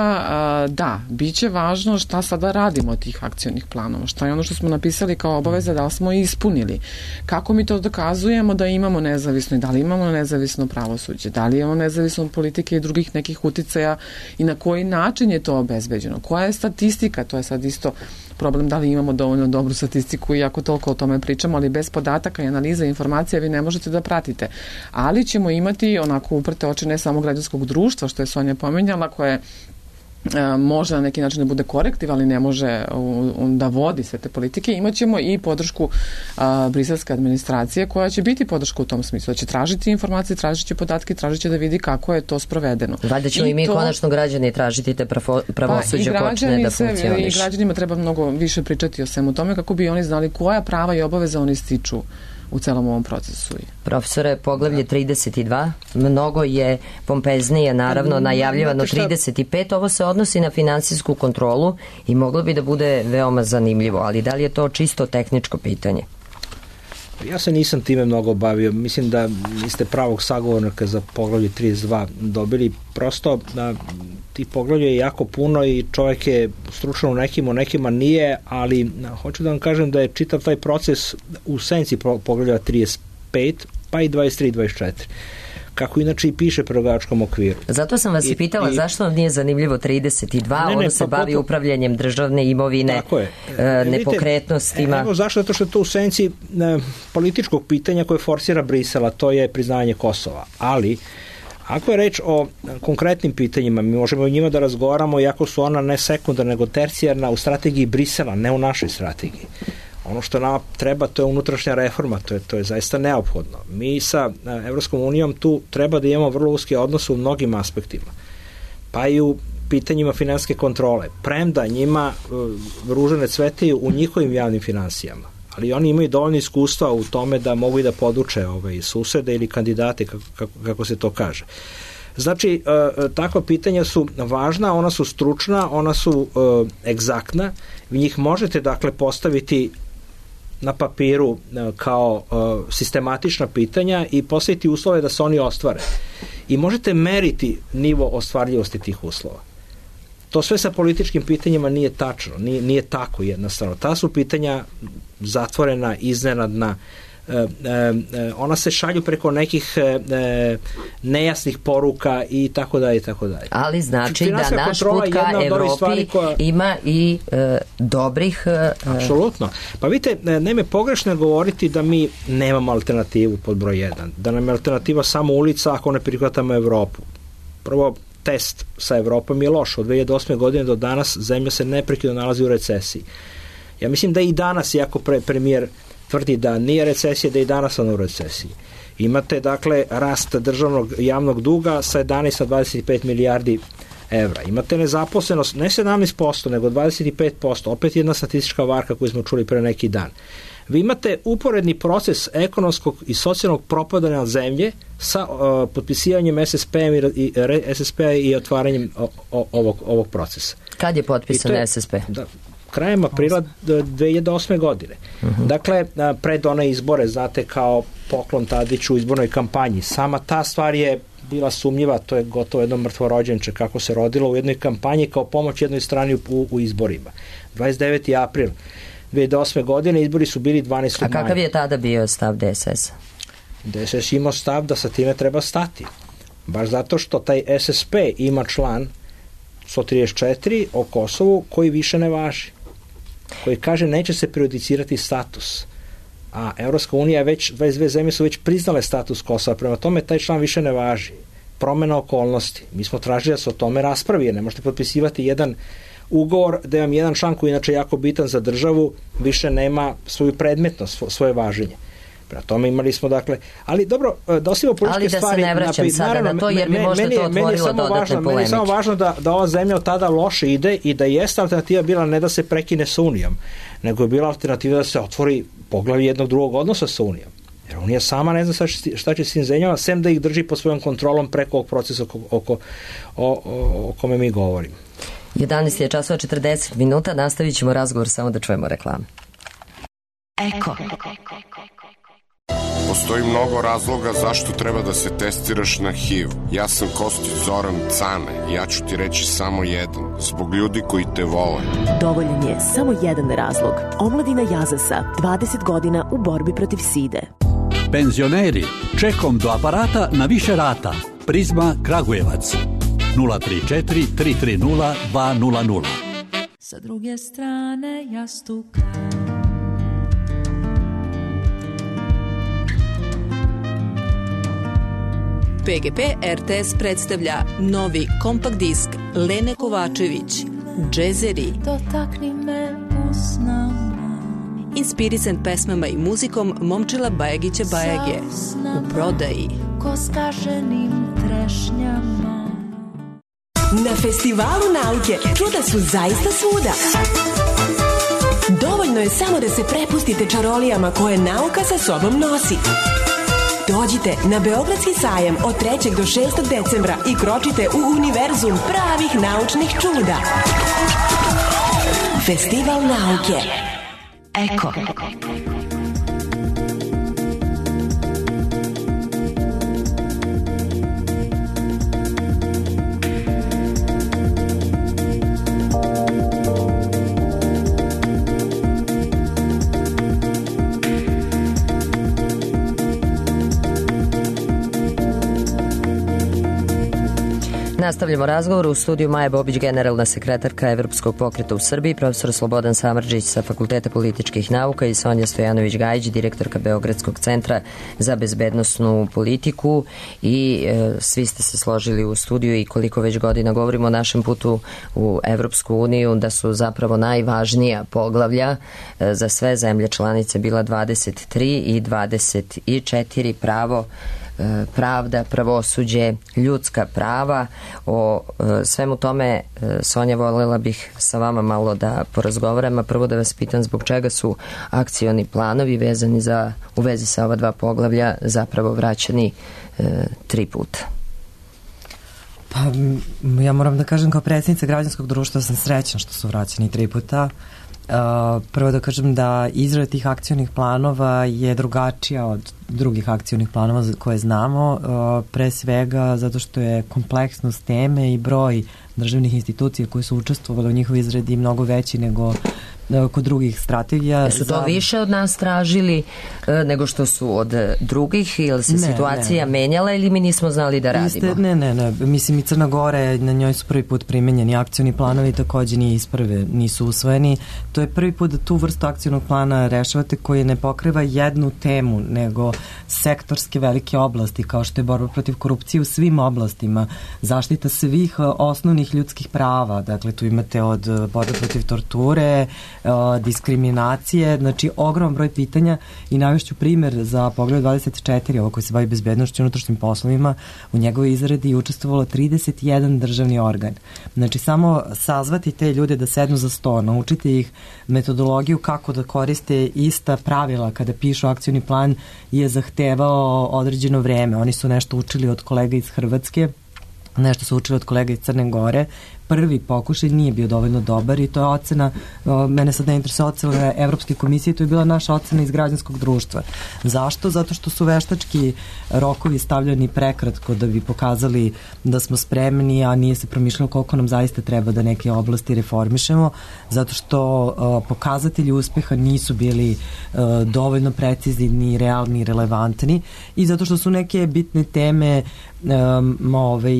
da, bit će važno šta sada radimo od tih akcijnih planova, šta je ono što smo napisali kao obaveza, da li smo ispunili. Kako mi to dokazujemo da imamo nezavisno i da li imamo nezavisno pravosuđe, da li je ono nezavisno od politike i drugih nekih uticaja i na koji način je to obezbeđeno, koja je statistika, to je sad isto problem da li imamo dovoljno dobru statistiku i ako toliko o tome pričamo, ali bez podataka i analiza informacija vi ne možete da pratite. Ali ćemo imati onako uprte oči ne samo građanskog društva, što je Sonja pomenjala, koje može na neki način da bude korektiv, ali ne može da vodi sve te politike. Imaćemo i podršku briselske administracije koja će biti podrška u tom smislu. Da će tražiti informacije, tražit će podatke, tražit će da vidi kako je to sprovedeno. Valjda ćemo i mi konačno građani tražiti te pravosuđe počne da funkcioniš. I građanima treba mnogo više pričati o svemu tome kako bi oni znali koja prava i obaveza oni stiču u celom ovom procesu. Profesore, poglavlje 32, mnogo je pompeznije, naravno, najavljivano 35, ovo se odnosi na finansijsku kontrolu i moglo bi da bude veoma zanimljivo, ali da li je to čisto tehničko pitanje? Ja se nisam time mnogo bavio. Mislim da niste pravog sagovornika za poglavlje 32 dobili. Prosto ti poglavlja je jako puno i čovjek je stručan u nekima nije, ali hoću da vam kažem da je čitav taj proces u senci poglavlja 35, pa i 23 i 24. Kako inače i piše pregovaračkom okviru. Zato sam vas i pitala zašto vam nije zanimljivo 32, ono se bavi upravljanjem državne imovine, nepokretnostima. Evo zašto? Zato što je to u senci političkog pitanja koje forsira Brisela, to je priznanje Kosova. Ali ako je reč o konkretnim pitanjima, mi možemo o njima da razgovaramo, iako su ona ne sekundarna, nego tercijarna u strategiji Brisela, ne u našoj strategiji. Ono što nama treba, to je unutrašnja reforma, to je zaista neophodno. Mi sa Evropskom unijom tu treba da imamo vrlo uske odnose u mnogim aspektima, pa i u pitanjima finansijske kontrole. Premda njima ružane cvetaju u njihovim javnim finansijama, ali oni imaju dovoljno iskustva u tome da mogu i da poduče susede ili kandidate, kako se to kaže. Znači, takva pitanja su važna, ona su stručna, ona su egzaktna, vi njih možete dakle postaviti na papiru kao sistematična pitanja i postaviti uslove da se oni ostvare. I možete meriti nivo ostvarljivosti tih uslova. To sve sa političkim pitanjima nije tačno, nije tako jednostavno. Ta su pitanja zatvorena, iznenadna, ona se šalju preko nekih nejasnih poruka i tako dalje i tako dalje. Ali znači da naš put ka Evropi ima i dobrih... Apsolutno. Pa vidite, nema pogrešno govoriti da mi nemamo alternativu pod broj 1, da nam je alternativa samo ulica ako ne prihvatamo Evropu. Prvo, test sa Evropom je loš. Od 2008. godine do danas zemlja se neprekidno nalazi u recesiji. Ja mislim da i danas, iako premijer tvrdi da nije recesija, da i danas on u recesiji. Imate, dakle, rast državnog javnog duga sa 11 na 25 milijardi evra. Imate nezaposlenost, ne 17%, nego 25%. Opet jedna statistička varka koju smo čuli pre neki dan. Vi imate uporedni proces ekonomskog i socijalnog propadanja zemlje sa potpisivanjem SSP-a i otvaranjem ovog procesa. Kad je potpisan SSP? Krajem aprila 2008. godine. Dakle, pred one izbore, znate, kao poklon Tadiću u izbornoj kampanji. Sama ta stvar je bila sumnjiva, to je gotovo jedno mrtvorođenče kako se rodilo u jednoj kampanji kao pomoć jednoj strani u izborima. 29. april 2008. godine izbori su bili 12. maja. A kakav je tada bio stav DSS? DSS imao stav da sa time treba stati. Baš zato što taj SSP ima član 134 o Kosovu koji više ne važi. Koji kaže neće se prejudicirati status a Evropska unija već, 22 zemlje su već priznale status Kosova, prema tome taj član više ne važi. Promena okolnosti. Mi smo tražili da se o tome raspravi, jer ne možete potpisivati jedan ugovor da vam jedan član koji je inače jako bitan za državu više nema svoju predmetnost, svoje važenje. Prema tome imali smo, dakle, ali dobro, da osim političke stvari... Ali da se ne vraćam sada na to, jer bi možda to otvorilo dodatne polemike. Meni je samo važno da ova zemlja od tada loše ide i da jeste alternativa bila ne da se prekine sa Unijom, nego je bila alternativa da se otvori poglavlje jednog drugog odnosa sa Unijom. Jer Unija sama ne zna šta će s tim zemljama, sem da ih drži pod svojom kontrolom preko ovog procesa o kome mi govorimo. 11 je časova 40 minuta, nastavit ćemo razgovor samo da čujemo reklamu. Eko. Postoji mnogo razloga zašto treba da se testiraš na HIV. Ja sam Kostić Zoran Cane i ja ću ti reći samo jedan. Zbog ljudi koji te vole. Dovoljan je samo jedan razlog. Omladina Jazasa, 20 godina u borbi protiv side. Penzioneri, čekom do aparata na više rata. Prizma Kragujevac. 034 330 200. Sa druge strane jastuka. PGP RTS predstavlja novi kompakt disk Lene Kovačević, Džezeri. Dotakni me usnama. Inspirisan pesmama i muzikom Momčila Bajagića Bajage. U prodaji. Ko skaženim trešnjama. Na Festivalu nauke čuda su zaista svuda. Dovoljno je samo da se prepustite čarolijama koje nauka sa sobom nosi. Dođite na Beogradski sajam od 3. do 6. decembra i kročite u univerzum pravih naučnih čuda. Festival nauke. Eko. Nastavljamo razgovor u studiju Maja Bobić, generalna sekretarka Evropskog pokreta u Srbiji, profesor Slobodan Samardžić sa Fakulteta političkih nauka i Sonja Stojanović-Gajić, direktorka Beogradskog centra za bezbednosnu politiku i svi ste se složili u studiju i koliko već godina govorimo o našem putu u Evropsku uniju da su zapravo najvažnija poglavlja za sve zemlje članice bila 23 i 24 pravo, pravda, pravosuđe, ljudska prava. O svemu tome, Sonja, voljela bih sa vama malo da porazgovaram, a prvo da vas pitam zbog čega su akcioni planovi vezani u vezi sa ova dva poglavlja zapravo vraćani 3 puta. Pa ja moram da kažem kao predsjednica građanskog društva sam srećna što su vraćani 3 puta. Prvo da kažem da izrada tih akcionih planova je drugačija od drugih akcionih planova koje znamo, pre svega zato što je kompleksnost teme i broj državnih institucija koje su učestvovali u njihovoj izradi mnogo veći nego kod drugih strategija. Su to više od nas tražili nego što su od drugih ili se situacija menjala ili mi nismo znali da radimo? Ne. Mislim i Crna Gora, na njoj su prvi put primenjeni akcioni planovi, takođe nisu usvojeni. To je prvi put da tu vrstu akcionog plana rešavate koji ne pokriva jednu temu, nego sektorske velike oblasti, kao što je borba protiv korupcije u svim oblastima, zaštita svih osnovnih ljudskih prava, dakle tu imate od borbe protiv torture, diskriminacije, znači ogroman broj pitanja i navešću primer za pogled 24, ovo koji se bavi bezbednošću i unutrašnjim poslovima, u njegovoj izradi je učestvovalo 31 državni organ. Znači samo sazvati te ljude da sednu za sto, naučiti ih metodologiju kako da koriste ista pravila kada pišu akcioni plan je zahtevao određeno vreme. Oni su nešto učili od kolega iz Hrvatske, nešto su učili od kolega iz Crne Gore. Prvi pokušaj nije bio dovoljno dobar i to je ocena, mene sad ne interesuje ocena Evropske komisije, to je bila naša ocena iz građanskog društva. Zašto? Zato što su veštački rokovi stavljani prekratko da bi pokazali da smo spremni, a nije se promišljalo koliko nam zaista treba da neke oblasti reformišemo, zato što pokazatelji uspeha nisu bili dovoljno precizni, ni realni, ni relevantni i zato što su neke bitne teme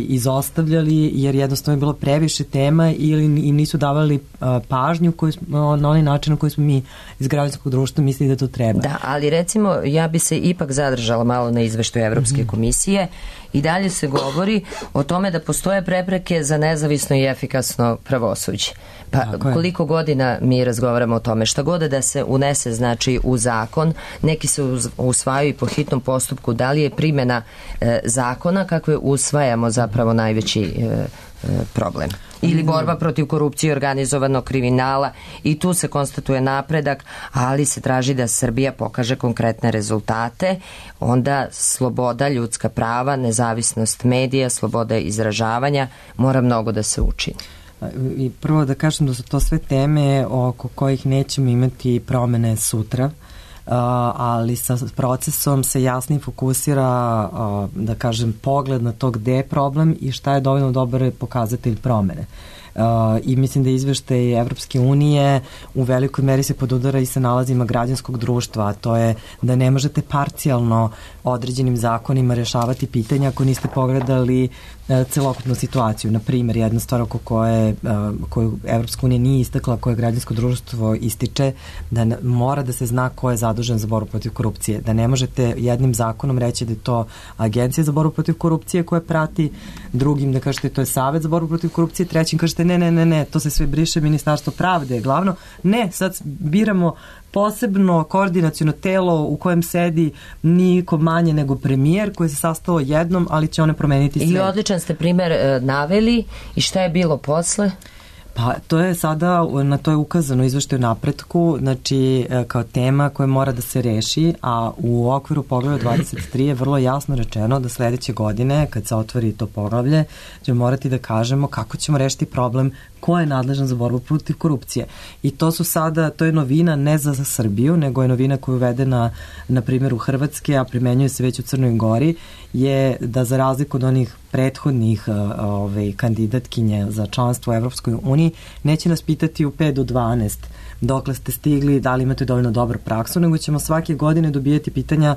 izostavljali jer jednostavno je bilo previše previše tema ili im nisu davali pažnju na onaj način na koji smo mi iz građanskog društva mislili da to treba. Da, ali recimo ja bi se ipak zadržala malo na izveštaju Evropske komisije. I dalje se govori o tome da postoje prepreke za nezavisno i efikasno pravosuđe. Pa koliko godina mi razgovaramo o tome, šta god da se unese znači u zakon, neki se usvajaju po hitnom postupku, da li je primjena zakona kakve usvajamo zapravo najveći problem. Ili borba protiv korupcije i organizovanog kriminala, i tu se konstatuje napredak, ali se traži da Srbija pokaže konkretne rezultate, onda sloboda, ljudska prava, nezavisnost medija, sloboda izražavanja, mora mnogo da se učini. I prvo da kažem da su to sve teme oko kojih nećemo imati promene sutra, ali sa procesom se jasnije fokusira, da kažem, pogled na to gde je problem i šta je dovoljno dobar pokazatelj promene. I mislim da izveštaj Evropske unije u velikoj meri se podudara i sa nalazima građanskog društva, a to je da ne možete parcijalno određenim zakonima rešavati pitanja ako niste pogledali celokupnu situaciju. Na primjer, jedna stvar oko koju Evropska unija nije istakla, koje građansko društvo ističe, da mora da se zna ko je zadužen za borbu protiv korupcije. Da ne možete jednim zakonom reći da je to Agencija za borbu protiv korupcije koja prati, drugim da kažete to je Savet za borbu protiv korupcije, trećim kažete ne, to se sve briše, Ministarstvo pravde je glavno. Ne, sad biramo posebno koordinaciono telo u kojem sedi niko manje nego premijer koji se sastao jednom, ali će one promeniti sve. I odličan ste primer naveli, i šta je bilo posle? Pa to je sada, na to je ukazano izveštaju napretku, znači kao tema koja mora da se reši, a u okviru poglavlja 23 je vrlo jasno rečeno da sledeće godine, kad se otvori to poglavlje, ćemo morati da kažemo kako ćemo rešiti problem ko je nadležan za borbu protiv korupcije. I to su sada, to je novina ne za Srbiju, nego je novina koja je uvedena na primjer u Hrvatske, a primenjuje se već u Crnoj Gori, je da za razliku od onih prethodnih kandidatkinja za članstvo u Evropskoj uniji, neće nas pitati u 5 do 12 dokle ste stigli, da li imate dovoljno dobru praksu, nego ćemo svake godine dobijati pitanja,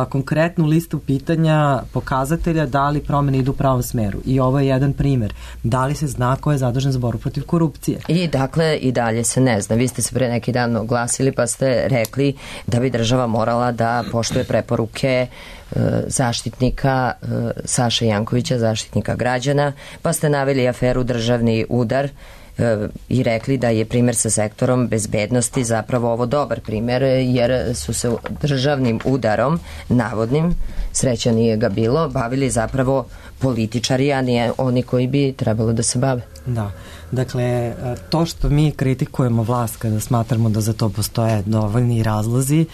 konkretnu listu pitanja, pokazatelja da li promene idu u pravom smeru. I ovo je jedan primer. Da li se zna ko je zadužen za borbu protiv korupcije? I dakle, i dalje se ne zna. Vi ste se pre neki dan oglasili pa ste rekli da bi država morala da poštuje preporuke zaštitnika Saše Jankovića, zaštitnika građana, pa ste naveli aferu Državni udar i rekli da je primjer sa sektorom bezbednosti zapravo ovo dobar primjer, jer su se državnim udarom, navodnim, sreća nije ga bilo, bavili zapravo političari, a nije oni koji bi trebalo da se bave. Da, dakle, to što mi kritikujemo vlast kada smatramo da za to postoje dovoljni razlozi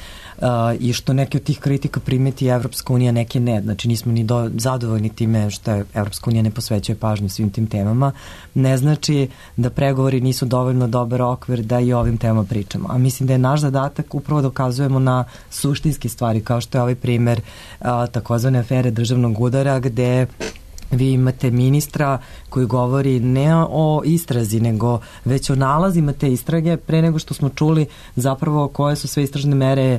i što neke od tih kritika primeti Evropska unija, neke ne, znači nismo ni zadovoljni time što je Evropska unija ne posvećuje pažnju svim tim temama, ne znači da pregovori nisu dovoljno dobar okvir da i o ovim temama pričamo. A mislim da je naš zadatak upravo dokazujemo na suštinske stvari, kao što je ovaj primer takozvane afere Državnog udara, gde vi imate ministra koji govori ne o istrazi, nego već o nalazima te istrage pre nego što smo čuli zapravo koje su sve istražne mere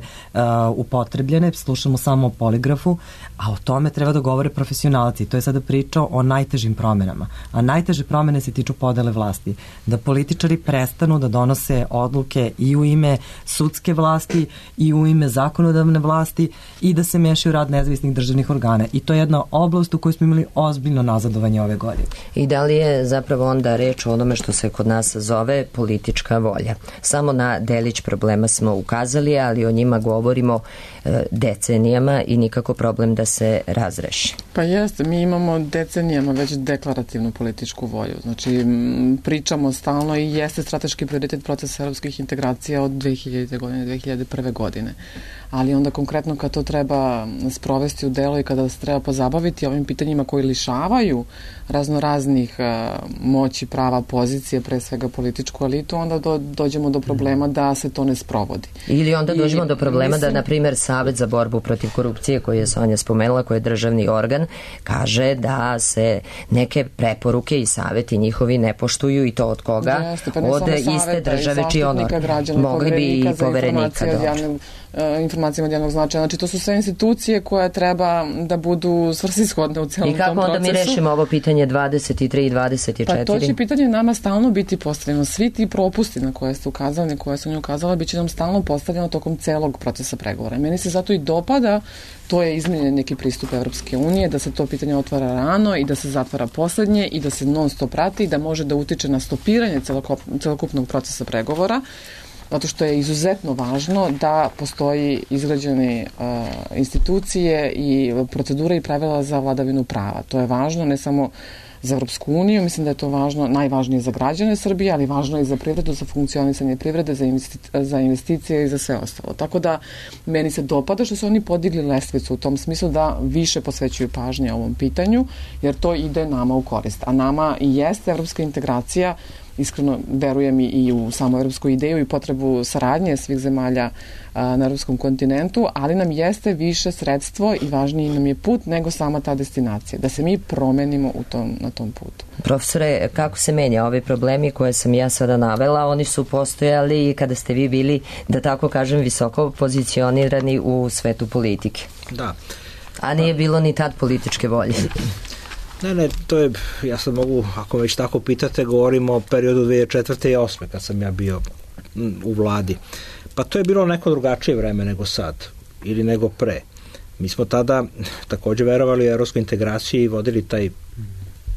upotrebljene, slušamo samo o poligrafu, a o tome treba da govore profesionalci. To je sada priča o najtežim promenama. A najteže promene se tiču podele vlasti. Da političari prestanu da donose odluke i u ime sudske vlasti i u ime zakonodavne vlasti i da se mešaju rad nezavisnih državnih organa. I to je jedna oblast u kojoj smo imali ozbiljno nazadovanje ove godine. I da li je zapravo onda reč o onome što se kod nas zove politička volja? Samo na delić problema smo ukazali, ali o njima govorimo decenijama i nikako problem da se razreši. Pa jeste, mi imamo decenijama već deklarativnu političku volju. Znači, pričamo stalno i jeste strateški prioritet procesa evropskih integracija od 2000. godine, 2001. godine. Ali onda konkretno kad to treba sprovesti u delo i kada se treba pozabaviti ovim pitanjima koji lišavaju raznoraznih moći, prava, pozicije, pre svega političku elitu, onda dođemo do problema da se to ne sprovodi. Ili onda dođemo do problema da, na primjer, Savet za borbu protiv korupcije, koji je Sonja spomenula, koji je državni organ, kaže da se neke preporuke i saveti njihovi ne poštuju, i to od koga? Od iste države čiji honor. Mogli bi i poverenika informacijama od javnog značaja. Znači, to su sve institucije koje treba da budu svrsishodne u celom tom procesu. I kako da mi rešimo ovo pitanje 23 i 24? Pa to će pitanje nama stalno biti postavljeno. Svi ti propusti na koje ste ukazali, na koje sam nju ukazala, bit će nam stalno postavljeno tokom celog procesa pregovora. Meni se zato i dopada, to je izmenjen neki pristup Evropske unije, da se to pitanje otvara rano i da se zatvara poslednje i da se non stop prati i da može da utiče na stopiranje celokupnog procesa pregovora, zato što je izuzetno važno da postoji izgrađene institucije i procedure i pravila za vladavinu prava. To je važno ne samo za Evropsku uniju, mislim da je to važno, najvažnije za građane Srbije, ali važno i za privredu, za funkcionisanje privrede, za investicije i za sve ostalo. Tako da meni se dopada što su oni podigli lestvicu u tom smislu da više posvećuju pažnje ovom pitanju, jer to ide nama u korist. A nama i jeste evropska integracija, iskreno verujem i u samu evropsku ideju i potrebu saradnje svih zemalja na evropskom kontinentu, ali nam jeste više sredstvo i važniji nam je put nego sama ta destinacija, da se mi promenimo na tom putu. Profesore, kako se menja ovi problemi koje sam ja sada navela? Oni su postojali kada ste vi bili, da tako kažem, visoko pozicionirani u svetu politike. Da. A nije bilo ni tad političke volje. Ne, to je, ja sad mogu, ako već tako pitate, govorimo o periodu 2004. i 2008. kad sam ja bio u vladi. Pa to je bilo neko drugačije vreme nego sad, ili nego pre. Mi smo tada takođe verovali u evropsku integraciju i vodili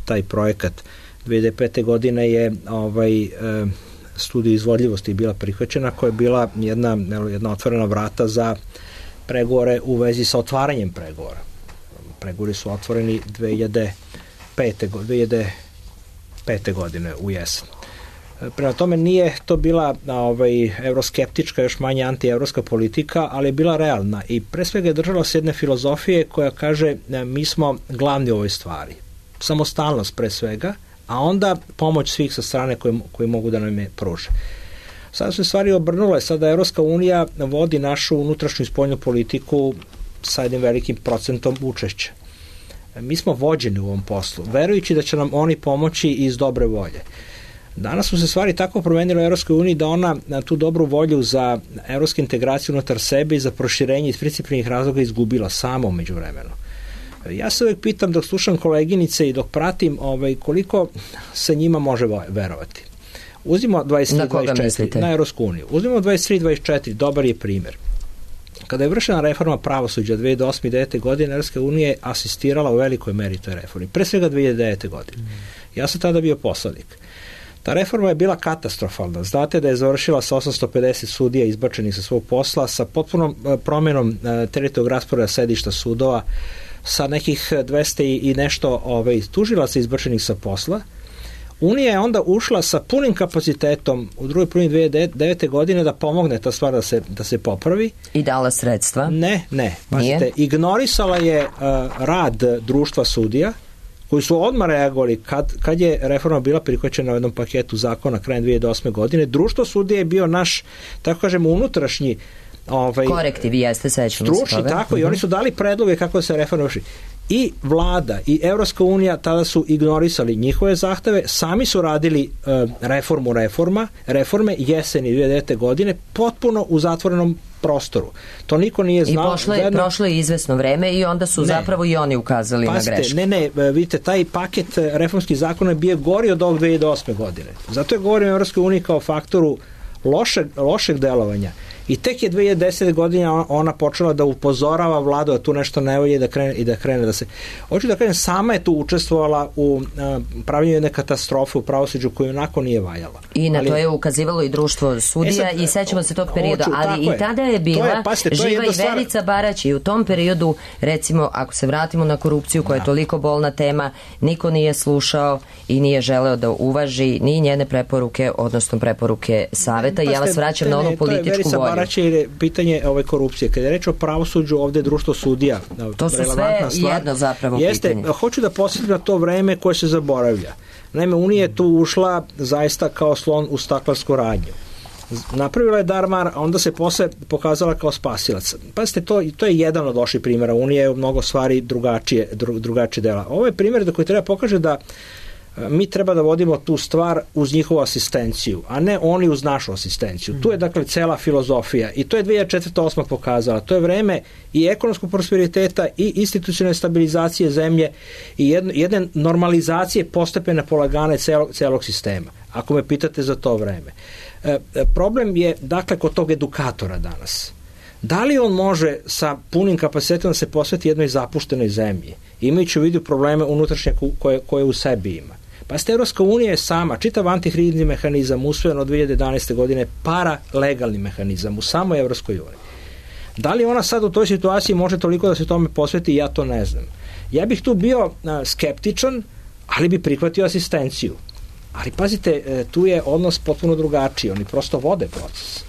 taj projekat. 2005. godine je studija izvodljivosti bila prihvaćena, koja je bila jedna otvorena vrata za pregovore u vezi sa otvaranjem pregovora. Pregovori su otvoreni 2005. godine u jesen. Prema tome nije to bila euroskeptička, još manje antievropska politika, ali je bila realna i pre svega je držala se jedne filozofije koja kaže mi smo glavni u ovoj stvari. Samostalnost pre svega, a onda pomoć svih sa strane koji mogu da nam je pruže. Sada su stvari obrnule, sada Evropska unija vodi našu unutrašnju i spoljnu politiku sa jednim velikim procentom učešća. Mi smo vođeni u ovom poslu, verujući da će nam oni pomoći iz dobre volje. Danas su se stvari tako promenile u Evropskoj uniji da ona tu dobru volju za evropsku integraciju unutar sebe i za proširenje iz principijalnih razloga izgubila samo umeđu vremenu. Ja se uvijek pitam dok slušam koleginice i dok pratim koliko se njima može verovati. Uzimo 23-24 na Evropsku uniju. Uzimo 23-24, dobar je primjer. Kada je vršena reforma pravosuđa 2008. i 2009. godine, Evropska unija je asistirala u velikoj meri toj reformi. Pre svega 2009. godine. Ja sam tada bio poslanik. Ta reforma je bila katastrofalna. Znate da je završila sa 850 sudija izbačenih sa svog posla, sa potpunom promenom teritorijalnog rasporeda sedišta sudova, sa nekih 200 i nešto tužilaca izbačenih sa posla. Unija je onda ušla sa punim kapacitetom u drugoj polovini 2009. godine da pomogne ta stvar da se popravi. I dala sredstva? Ne. Pazite, ignorisala je rad društva sudija, koji su odmah reagovali kad je reforma bila prihvaćena u jednom paketu zakona krajem 2008. godine. Društvo sudija je bio naš, tako kažemo, unutrašnji korektiv, jeste, sećamo se toga. Tako, i oni su dali predloge kako da se reforma vrši. I vlada i Evropska unija tada su ignorisali njihove zahteve, sami su radili reforme jeseni 2009. godine potpuno u zatvorenom prostoru. To niko nije znao. I prošlo je izvesno vreme i onda su zapravo i oni ukazali na grešku. Vidite, taj paket reformskih zakona je bio gori od ovog 2008. godine. Zato je govorim o Evropskoj uniji kao faktoru lošeg delovanja. I tek je 2010. godina ona počela da upozorava vladu da tu nešto ne volje i da krene da se... Hoću da kažem, sama je tu učestvovala u pravljenju jedne katastrofe u pravosuđu koju onako nije valjala. I na to je ukazivalo i društvo sudija i sećamo se tog perioda, ali i tada je bila živa i Verica Barać i u tom periodu, recimo, ako se vratimo na korupciju koja je toliko bolna tema, niko nije slušao i nije želeo da uvaži ni njene preporuke, odnosno preporuke saveta. Ja vas vraćam na onu političku volju. Je pitanje korupcije. Kada je reč o pravosuđu, ovde društvo sudija. To su sve jedno zapravo pitanje. Hoću da posjetim na to vreme koje se zaboravlja. Naime, Unija je tu ušla zaista kao slon u staklarsku radnju. Napravila je darmar, a onda se posle pokazala kao spasilac. Pazite, to je jedan od loših primjera. Unija je u mnogo stvari drugačije dela. Ovo je primjer da koji treba pokaže da mi treba da vodimo tu stvar uz njihovu asistenciju, a ne oni uz našu asistenciju. Tu je dakle cela filozofija i to je 2004-2008 pokazala. To je vreme i ekonomskog prosperiteta i institucionalne stabilizacije zemlje i jedne normalizacije postepene polagane celog sistema, ako me pitate za to vreme. Problem je dakle kod tog edukatora danas. Da li on može sa punim kapacitetom da se posveti jednoj zapuštenoj zemlji, imajući u vidu probleme unutrašnje koje u sebi ima? Pa Evropska unija je sama, čitav antihrizni mehanizam usvojen od 2011. godine, paralegalni mehanizam u samoj Evropskoj uniji. Da li ona sad u toj situaciji može toliko da se tome posveti, ja to ne znam. Ja bih tu bio skeptičan, ali bi prihvatio asistenciju. Ali pazite, tu je odnos potpuno drugačiji, oni prosto vode proces.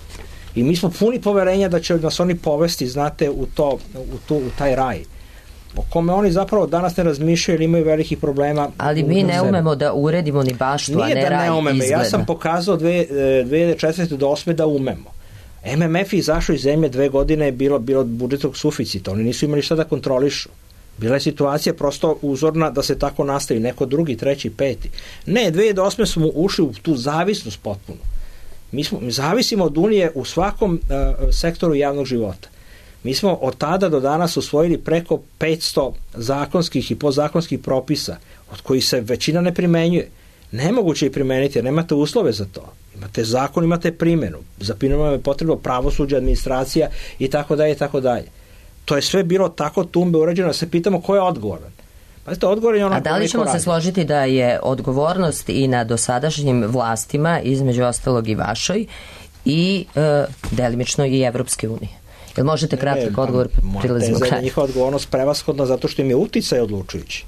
I mi smo puni poverenja da će nas oni povesti, znate, u taj raj, o kome oni zapravo danas ne razmišljaju ili imaju velikih problema. Ali mi ne umemo da uredimo ni baštu, a ne raj izgleda. Ja sam pokazao 2004. do 2008. da umemo. MMF je izašao iz zemlje 2 godine, je bilo budžetnog suficita, oni nisu imali šta da kontrolišu. Bila je situacija prosto uzorna da se tako nastavi, neko drugi, treći, peti. Ne, 2008. smo ušli u tu zavisnost potpuno. Mi zavisimo od Unije u svakom sektoru javnog života. Mi smo od tada do danas usvojili preko 500 zakonskih i podzakonskih propisa, od kojih se većina ne primenjuje. Nemoguće ih primeniti, jer nemate uslove za to. Imate zakon, imate primjenu. Za primjenu je potrebno pravosuđe, administracija i tako dalje i tako dalje. To je sve bilo tako tumbe urađeno da se pitamo ko je odgovoran. A da li ćemo se složiti da je odgovornost i na dosadašnjim vlastima, između ostalog i vašoj, i delimično i Evropske unije? Jel možete kratak odgovor, prilazimo kraju? Teza je njihova odgovornost prevashodna zato što im je uticaj odlučujući.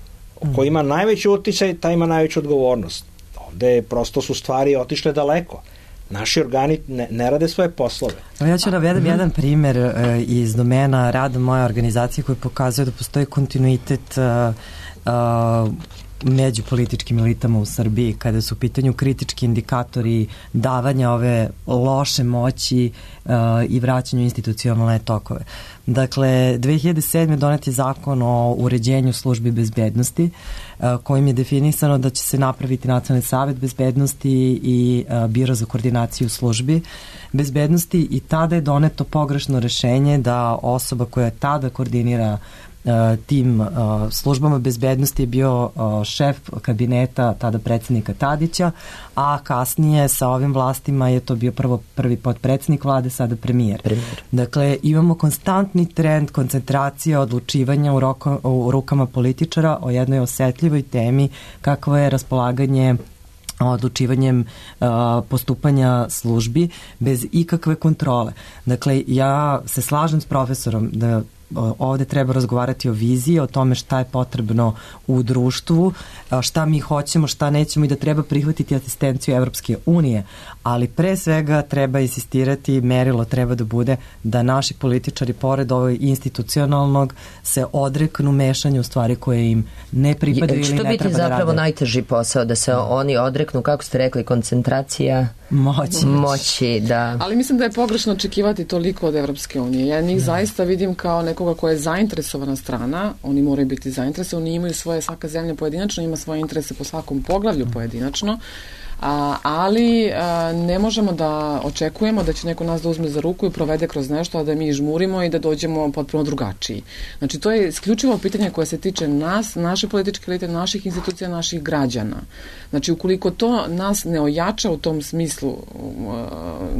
Ko ima najveći uticaj, taj ima najveću odgovornost. Ovde prosto su stvari otišle daleko. Naši organi ne rade svoje poslove. Ja ću navedem jedan primer iz domena rada moje organizacije koji pokazuje da postoji kontinuitet među političkim elitama u Srbiji kada su u pitanju kritički indikatori davanja ove loše moći i vraćanju institucionalne tokove. Dakle, 2007. donet je zakon o uređenju službi bezbednosti kojim je definisano da će se napraviti Nacionalni savet bezbednosti i Biro za koordinaciju službi bezbednosti i tada je doneto pogrešno rešenje da osoba koja tada koordinira tim službama bezbednosti je bio šef kabineta tada predsjednika Tadića, a kasnije sa ovim vlastima je to bio prvi potpredsjednik vlade, sada premijer. Dakle, imamo konstantni trend koncentracije odlučivanja u rukama političara o jednoj osetljivoj temi kakvo je raspolaganje odlučivanjem postupanja službi bez ikakve kontrole. Dakle, ja se slažem s profesorom da ovde treba razgovarati o viziji, o tome šta je potrebno u društvu, šta mi hoćemo, šta nećemo i da treba prihvatiti asistenciju Evropske unije, ali pre svega treba insistirati, merilo treba da bude da naši političari pored ovog institucionalnog se odreknu mešanju u stvari koje im ne pripadaju ili ne treba da rade. Što biti zapravo najteži posao, da se oni odreknu, kako ste rekli, koncentracija moći, da. Ali mislim da je pogrešno očekivati toliko od Evropske unije. Ja njih zaista vidim kao nekoga koja je zainteresovana strana, oni moraju biti zainteresovani, imaju svoje, svaka zemlja pojedinačno, ima svoje interese po svakom poglavlju pojedinačno, ali ne možemo da očekujemo da će neko nas da uzme za ruku i provede kroz nešto, a da mi žmurimo i da dođemo potpuno drugačiji. Znači, to je isključivo pitanje koje se tiče nas, naše političke elite, naših institucija, naših građana. Znači, ukoliko to nas ne ojača u tom smislu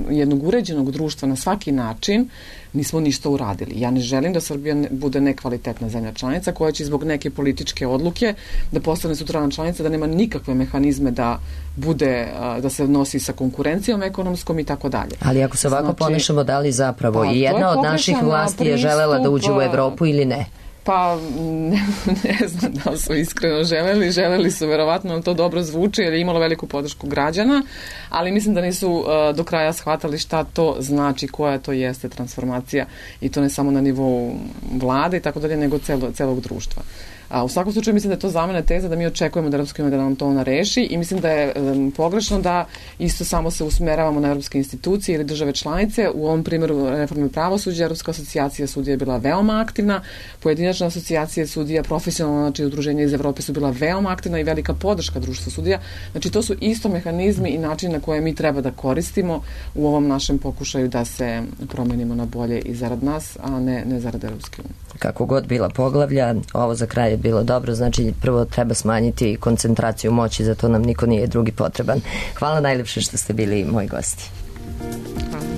jednog uređenog društva na svaki način, nismo ništa uradili. Ja ne želim da Srbija bude nekvalitetna zemlja članica koja će zbog neke političke odluke da postane sutradan članica, da nema nikakve mehanizme da bude, da se nosi sa konkurencijom ekonomskom i tako dalje. Ali ako se ovako ponašamo, da li zapravo i jedna od naših vlasti je želela da uđe u Evropu ili ne? Pa ne znam da li su iskreno želeli su verovatno, to dobro zvuči jer je imalo veliku podršku građana, ali mislim da nisu do kraja shvatali šta to znači, koja to jeste transformacija i to ne samo na nivou vlade i tako dalje, nego celog društva. U svakom slučaju mislim da je to za mene teza da mi očekujemo da Evropska unija da nam to reši i mislim da je pogrešno da isto samo se usmeravamo na evropske institucije ili države članice. U ovom primjeru reforme pravosuđa Evropska asocijacija sudija je bila veoma aktivna, pojedinačna asocijacija sudija, profesionalna, znači udruženja iz Evrope su bila veoma aktivna i velika podrška društva sudija. Znači to su isto mehanizmi i način na koje mi treba da koristimo u ovom našem pokušaju da se promenimo na bolje i zarad nas, a ne zarad Evropske unije. Kako god bila poglavlja, ovo za kraj je bilo dobro, znači prvo treba smanjiti koncentraciju moći, zato nam niko nije drugi potreban. Hvala najlepše što ste bili moji gosti. Hvala.